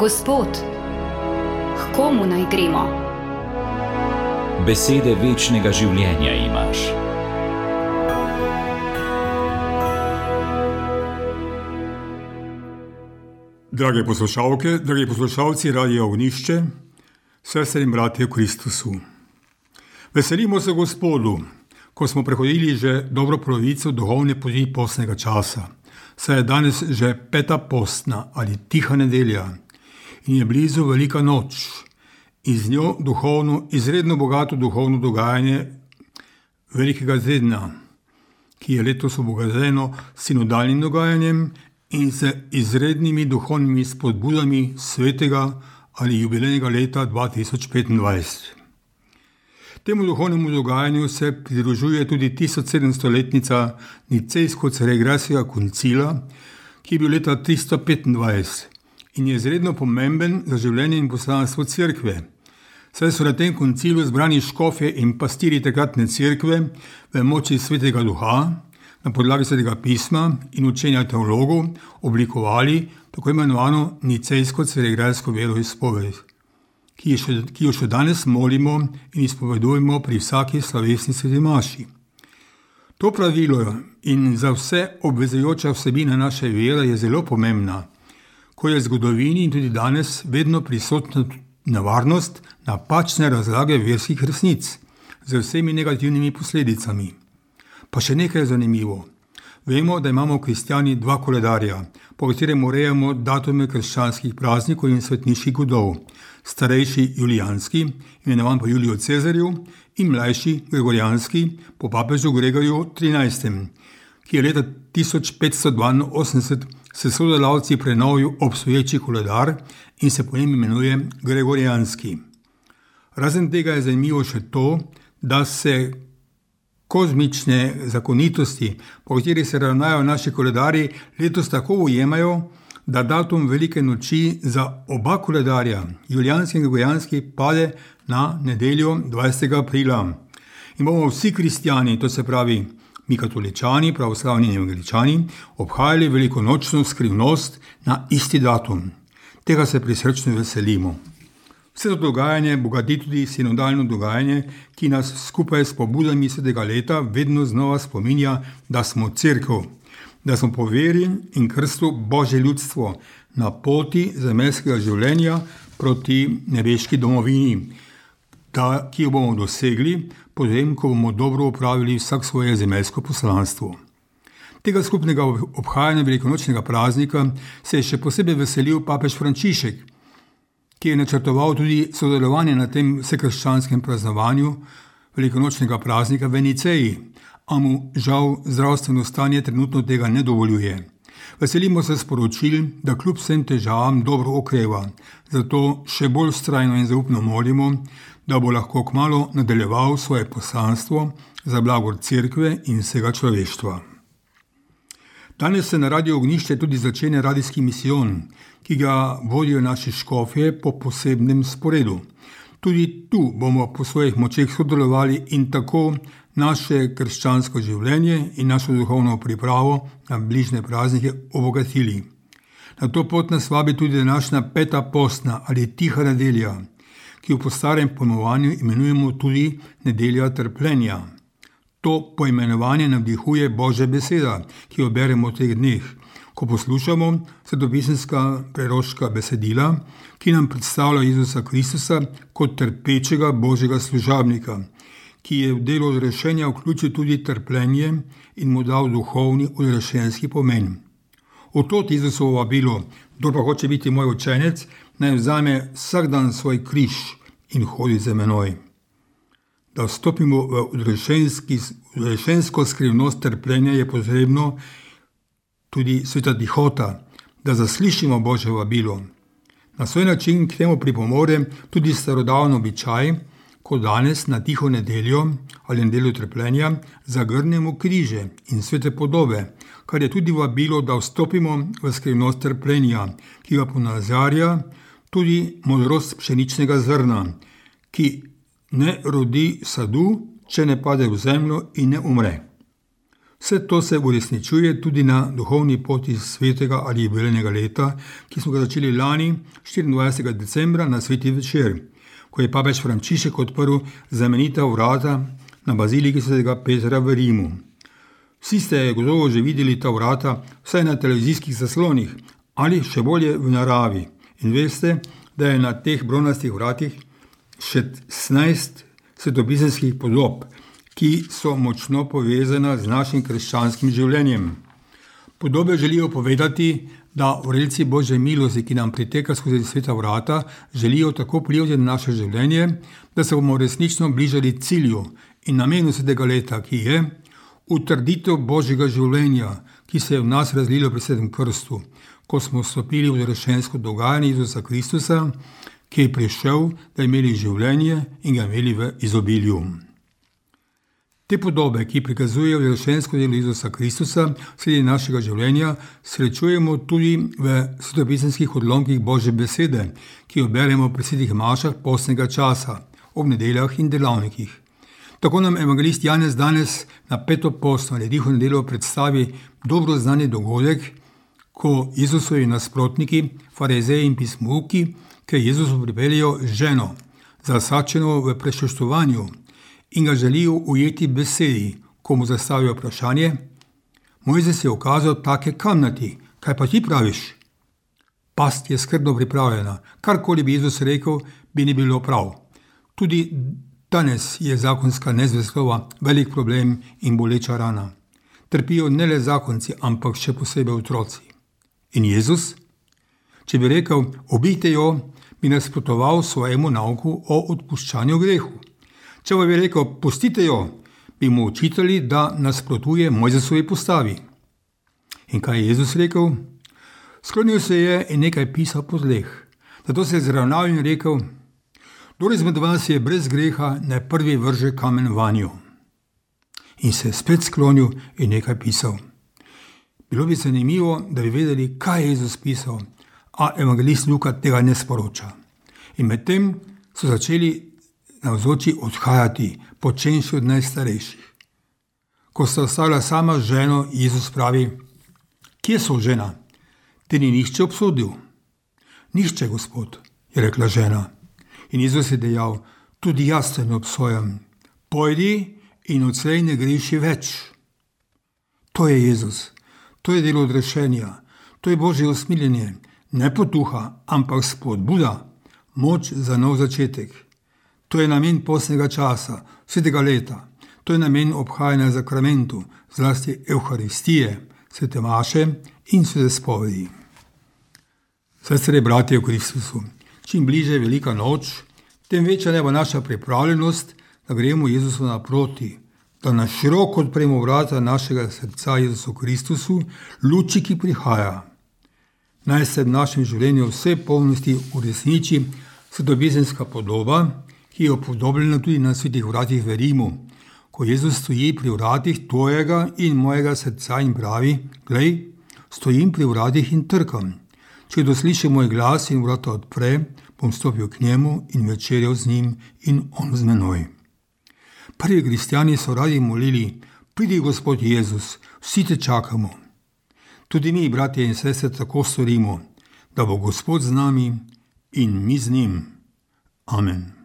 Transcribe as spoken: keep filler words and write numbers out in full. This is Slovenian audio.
Gospod, k komu naj gremo? Besede večnega življenja imaš. Drage poslušalke, dragi poslušalci Radia Ognišče, sestre in bratje v Kristusu. Veselimo se Gospodu, ko smo prehodili že dobro polovico duhovne poti postnega časa. Saj je danes že peta postna ali tiha nedelja in je blizu velika noč in z njo duhovno, izredno bogato duhovno dogajanje velikega tedna, ki je letos obogateno s sinodalnim dogajanjem in z izrednimi duhovnimi spodbudami svetega ali jubilejnega leta dva tisoč petindvajset. Temu duhovnemu dogajanju se pridružuje tudi tisočsedemstoletnica Nicejsko-Ceregrajskega koncila, ki je bil leta tristo petindvajset in je izredno pomemben za življenje in poslanstvo cerkve. Saj so na tem koncilu zbrani škofje in pastirji takratne cerkve v moči svetega duha, na podlagi svetega pisma in učenja teologov oblikovali tako imenovano Nicejsko-Ceregrajsko veroizpoved, ki, ki jo še danes molimo in izpovedujemo pri vsaki slovesni sveti maši. To pravilo in za vse obvezujoča vsebina naše vere je zelo pomembna, ko je v zgodovini in tudi danes vedno prisotna nevarnost napačne razlage verskih resnic z vsemi negativnimi posledicami. Pa še nekaj je zanimivo. Vemo, da imamo kristjani dva koledarja, po katerem urejamo datume krščanskih praznikov in svetniških godov. Starejši julijanski, imenovan po Juliju Cezarju, in mlajši gregorijanski, po papežu Gregorju trinajstem, ki je leta tisoč petsto dvainosemdeset s sodelavci prenovil obstoječi koledar in se po njem imenuje gregorijanski. Razen tega je zanimivo še to, da se kozmične zakonitosti, po katerih se ravnajo naši koledarji, letos tako ujemajo, da datum velike noči za oba koledarja, julijanski in gregorijanski, pade na nedeljo dvajsetega aprila. In bomo vsi kristjani, to se pravi mi katoličani, pravoslavni in evangeličani, obhajali velikonočno skrivnost na isti datum. Tega se prisrčno veselimo. Vse to dogajanje bogati tudi sinodalno dogajanje, ki nas skupaj s pobudami svetega leta vedno znova spominja, da smo cerkev, da smo po veri in krstu Božje ljudstvo na poti zemeljskega življenja proti nebeški domovini, da, ki jo bomo dosegli, potem, ko bomo dobro opravili vsak svoje zemeljsko poslanstvo. Tega skupnega obhajanja velikonočnega praznika se je še posebej veselil papež Frančišek, ki je načrtoval tudi sodelovanje na tem vsekrščanskem praznovanju velikonočnega praznika v Niceji, a mu žal zdravstveno stanje trenutno tega ne dovoljuje. Veselimo se sporočil, da kljub vsem težavam dobro okreva, zato še bolj vztrajno in zaupno molimo, da bo lahko kmalu nadaljeval svoje poslanstvo za blagor cerkve in vsega človeštva. Danes se na Radiu Ognišče tudi začne radijski misijon, ki ga vodijo naši škofje po posebnem sporedu. Tudi tu bomo po svojih močeh sodelovali in tako naše krščansko življenje in našo duhovno pripravo na bližnje praznike obogatili. Na to pot nas vabi tudi današnja peta postna ali tiha nedelja, ki jo po starem pojmovanju imenujemo tudi nedelja trpljenja. To poimenovanje navdihuje Božja beseda, ki jo beremo v teh dneh, ko poslušamo svetopisemska preroška besedila, ki nam predstavlja Jezusa Kristusa kot trpečega Božjega služabnika, ki je v delo odrešenja vključil tudi trpljenje in mu dal duhovni odrešenski pomen. Od Jezusovo vabilo, kdor pa hoče biti moj učenec, naj vzame vsak dan svoj križ in hodi za menoj. Da vstopimo v odrešensko skrivnost trpljenja, je potrebno tudi sveta tihota, da zaslišimo Božje vabilo. Na svoj način k temu pripomore tudi starodavni običaj, ko danes na tiho nedeljo ali nedeljo trpljenja zagrnemo križe in svete podobe, kar je tudi vabilo, da vstopimo v skrivnost trpljenja, ki ga ponazarja tudi modrost pšeničnega zrna, ki ne rodi sadu, če ne pade v zemljo in ne umre. Vse to se uresničuje tudi na duhovni poti svetega ali jubilejnega leta, ki smo ga začeli lani štiriindvajsetega decembra na sveti večer, ko je papež Frančišek odprl znamenita vrata na baziliki svetega Petra v Rimu. Vsi ste gotovo že videli ta vrata vsaj na televizijskih zaslonih ali še bolje v naravi in veste, da je na teh bronastih vratih šestnajst svetopisemskih podob, ki so močno povezana z našim krščanskim življenjem. Podobe želijo povedati, da vrelci Božje milosti, ki nam priteka skozi sveta vrata, želijo tako vplivati na naše življenje, da se bomo resnično bližali cilju in namenu svetega leta, ki je utrditev Božjega življenja, ki se je v nas razlilo pri svetem krstu, ko smo vstopili v zrešensko dogajanje Jezusa Kristusa, ki je prišel, da imeli življenje in ga imeli v izobilju. Te podobe, ki prikazujejo zrešensko delo Jezusa Kristusa sredi našega življenja, srečujemo tudi v svetopisemskih odlomkih Božje besede, ki jo beremo pri svetih mašah postnega časa, ob nedeljah in delavnikih. Tako nam evangelist Janez danes na peto postno ali tiho nedeljo predstavi dobro znani dogodek, ko Jezusovi nasprotniki, farizeji in pismouki, ki Jezusu pripeljejo ženo, zasačeno v prešuštovanju, in ga želijo ujeti besedi, ko mu zastavijo vprašanje: Mojzes je ukazal take kamnati, kaj pa ti praviš? Past je skrbno pripravljena, karkoli bi Jezus rekel, bi ni bilo prav. Tudi danes je zakonska nezvestoba velik problem in boleča rana. Trpijo ne le zakonci, ampak še posebej otroci. In Jezus, če bi rekel, ubijte jo, bi nasprotoval svojemu nauku o odpuščanju grehu. Če pa bi rekel, pustite jo, bi mu očitali, da nasprotuje Mojzesovi postavi. In kaj je Jezus rekel? Sklonil se je in nekaj pisal po tleh. Zato se je zravnal in rekel: Kdor izmed vas je brez greha, naj prvi vrže kamen vanjo. In se je spet sklonil in nekaj pisal. Bilo bi zanimivo, da bi vedeli, kaj je Jezus pisal, a evangelist Luka tega ne sporoča. In medtem so začeli navzoči odhajati, počenši od najstarejših. Ko sta ostala sama z ženo, Jezus pravi: Kje so žena? Te ni nihče obsodil? Nihče, Gospod, je rekla žena. In Jezus je dejal: Tudi jaz te ne obsojam. Pojdi in odslej ne greši več. To je Jezus. To je delo odrešenja. To je Božje usmiljenje. Ne potuha, ampak spodbuda, moč za nov začetek. To je namen postnega časa, svetega leta. To je namen obhajanja zakramentu, zlasti Evharistije, svete maše in svete spovedi. Sestre, bratje v Kristusu, čim bliže je velika noč, tem večja je naša pripravljenost, da gremo Jezusu naproti, da na široko odpremo vrata našega srca Jezusu Kristusu, luči, ki prihaja. Naj se v našem življenju vse polnosti uresniči svetopisemska podoba, ki je upodobljena tudi na svetih vratih v Rimu, ko Jezus stoji pri vratih tvojega in mojega srca in pravi: Glej, stojim pri vratih in trkam. Če kdo sliši moj glas in vrata odpre, bom stopil k njemu in večerjal z njim in on z menoj. Prvi kristjani so radi molili: Pridi, Gospod Jezus, vsi te čakamo. Tudi mi, bratje in sestre, tako storimo, da bo Gospod z nami in mi z njim. Amen.